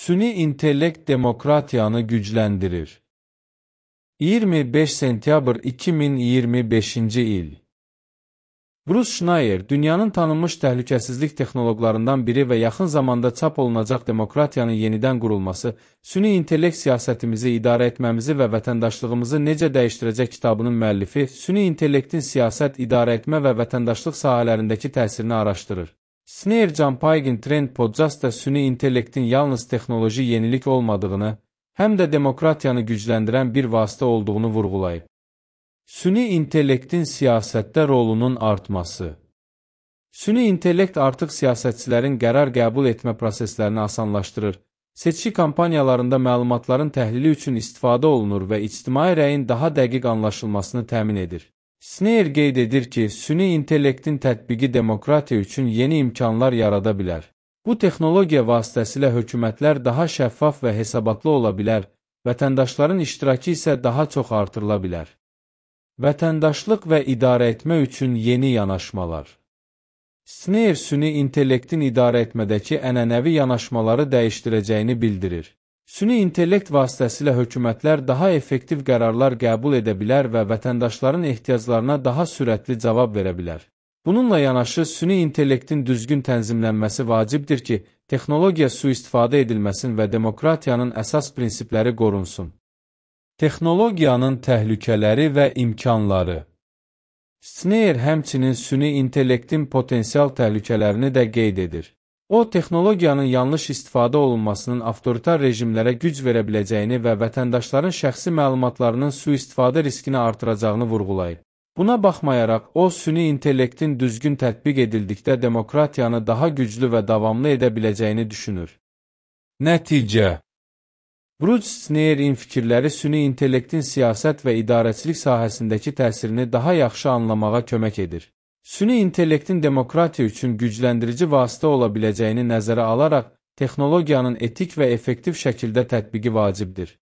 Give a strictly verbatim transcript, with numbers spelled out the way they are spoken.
Süni intellekt demokratiyanı gücləndirir. iyirmi beş sentyabr iki min iyirmi beşinci il. Bruce Schneier, dünyanın tanınmış təhlükəsizlik texnoloqlarından biri və yaxın zamanda çap olunacaq demokratiyanın yenidən qurulması, süni intellekt siyasətimizi idarə etməmizi və vətəndaşlığımızı necə dəyişdirəcək kitabının müəllifi, süni intellektin siyasət, idarə etmə və vətəndaşlıq sahələrindəki təsirini araşdırır. Snare Jumping Trend Podcastda süni intellektin yalnız texnoloji yenilik olmadığını, həm də demokratiyanı gücləndirən bir vasitə olduğunu vurğulayıb. Süni intellektin siyasətdə rolunun artması. Süni intellekt artıq siyasətçilərin qərar qəbul etmə proseslərini asanlaşdırır, seçki kampaniyalarında məlumatların təhlili üçün istifadə olunur və ictimai rəyin daha dəqiq anlaşılmasını təmin edir. Snare qeyd edir ki, süni intellektin tətbiqi demokratiya üçün yeni imkanlar yarada bilər. Bu texnologiya vasitəsilə hökumətlər daha şəffaf və hesabatlı ola bilər, vətəndaşların iştirakı isə daha çox artırıla bilər. Vətəndaşlıq və idarə etmə üçün yeni yanaşmalar. Snare süni intellektin idarə etmədəki ənənəvi yanaşmaları dəyişdirəcəyini bildirir. Süni intellekt vasitəsilə hökumətlər daha effektiv qərarlar qəbul edə bilər və vətəndaşların ehtiyaclarına daha sürətli cavab verə bilər. Bununla yanaşı, süni intellektin düzgün tənzimlənməsi vacibdir ki, texnologiya sui-istifadə edilməsin və demokratiyanın əsas prinsipləri qorunsun. Texnologiyanın təhlükələri və imkanları. Snare həmçinin süni intellektin potensial təhlükələrini də qeyd edir. O, texnologiyanın yanlış istifadə olunmasının avtoritar rejimlərə güc verə biləcəyini və vətəndaşların şəxsi məlumatlarının sui-istifadə riskini artıracağını vurğulayıb. Buna baxmayaraq, o, süni intellektin düzgün tətbiq edildikdə demokratiyanı daha güclü və davamlı edə biləcəyini düşünür. Nəticə. Bruce Schneier'in fikirləri süni intellektin siyasət və idarəçilik sahəsindəki təsirini daha yaxşı anlamağa kömək edir. Süni intellektin demokratiya üçün gücləndirici vasitə ola biləcəyini nəzərə alaraq, texnologiyanın etik və effektiv şəkildə tətbiqi vacibdir.